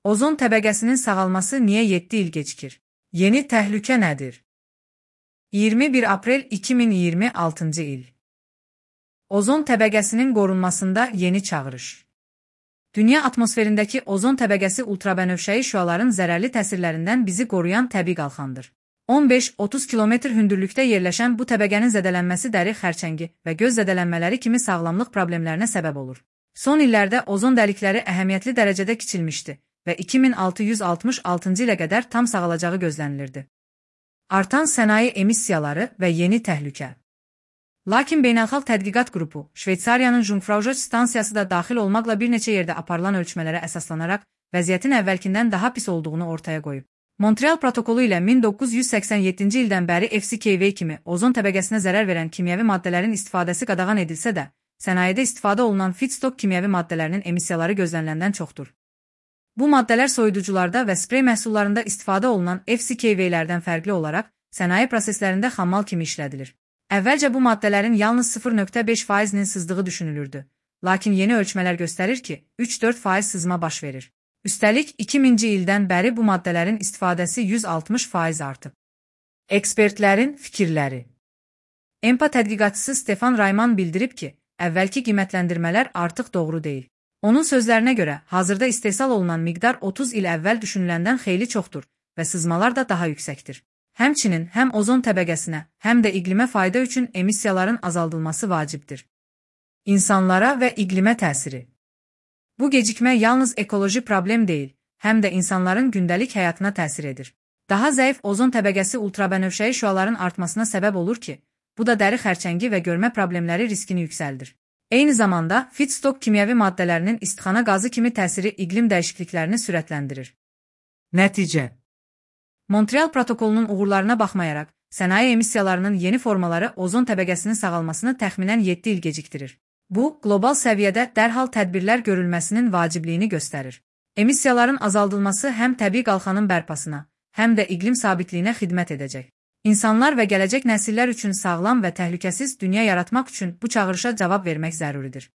Ozon təbəqəsinin sağalması niyə 7 il gecikir? Yeni təhlükə nədir? 21 aprel 2026 il. Ozon təbəqəsinin qorunmasında yeni çağırış. Dünya atmosferindəki ozon təbəqəsi ultrabənövşəyi şüaların zərərli təsirlərindən bizi qoruyan təbii qalxandır. 15-30 kilometr hündürlükdə yerləşən bu təbəqənin zədələnməsi dəri xərçəngi və göz zədələnmələri kimi sağlamlıq problemlərinə səbəb olur. Son illərdə ozon dəlikləri əhəmiyyətli dərəcədə kiçilmişdi və 2666 ilə qədər tam sağalacağı gözlənilirdi. Artan sənaye emissiyaları və yeni təhlükə. Lakin Beynəlxalq Tədqiqat Qrupu, Şveysariyanın Jungfraujoch stansiyası da daxil olmaqla bir neçə yerdə aparılan ölçmələrə əsaslanaraq vəziyyətin əvvəlkindən daha pis olduğunu ortaya qoyub. Montreal protokolu ilə 1987-ci ildən bəri FCKV kimi ozon təbəqəsinə zərər verən kimyəvi maddələrin istifadəsi qadağan edilsə də, sənayedə istifadə olunan feedstock kimyəvi maddələrinin emissiyaları gözləniləndən çoxdur. Bu maddələr soyuducularda və sprey məhsullarında istifadə olunan FCKV-lərdən fərqli olaraq sənaye proseslərində xammal kimi işlədilir. Əvvəlcə bu maddələrin yalnız 0,5%-nin sızdığı düşünülürdü. Lakin yeni ölçmələr göstərir ki, 3-4% sızma baş verir. Üstəlik, 2000-ci ildən bəri bu maddələrin istifadəsi 160% artıb. Ekspertlərin fikirləri. EMPA tədqiqatçısı Stefan Rayman bildirib ki, əvvəlki qiymətləndirmələr artıq doğru deyil. Onun sözlərinə görə, hazırda istehsal olunan miqdar 30 il əvvəl düşünüləndən xeyli çoxdur və sızmalar da daha yüksəkdir. Həmçinin həm ozon təbəqəsinə, həm də iqlimə fayda üçün emissiyaların azaldılması vacibdir. İnsanlara və iqlimə təsiri. Bu gecikmə yalnız ekoloji problem deyil, həm də insanların gündəlik həyatına təsir edir. Daha zəif ozon təbəqəsi ultrabənövşəyi şüaların artmasına səbəb olur ki, bu da dəri xərçəngi və görmə problemləri riskini yüksəldir. Eyni zamanda, feedstock kimyəvi maddələrinin istixana qazı kimi təsiri iqlim dəyişikliklərini sürətləndirir. Nəticə. Montreal protokolunun uğurlarına baxmayaraq, sənaye emissiyalarının yeni formaları ozon təbəqəsinin sağalmasını təxminən 7 il gecikdirir. Bu, qlobal səviyyədə dərhal tədbirlər görülməsinin vacibliyini göstərir. Emissiyaların azaldılması həm təbii qalxanın bərpasına, həm də iqlim sabitliyinə xidmət edəcək. İnsanlar və gələcək nəsillər üçün sağlam və təhlükəsiz dünya yaratmaq üçün bu çağırışa cavab vermək zəruridir.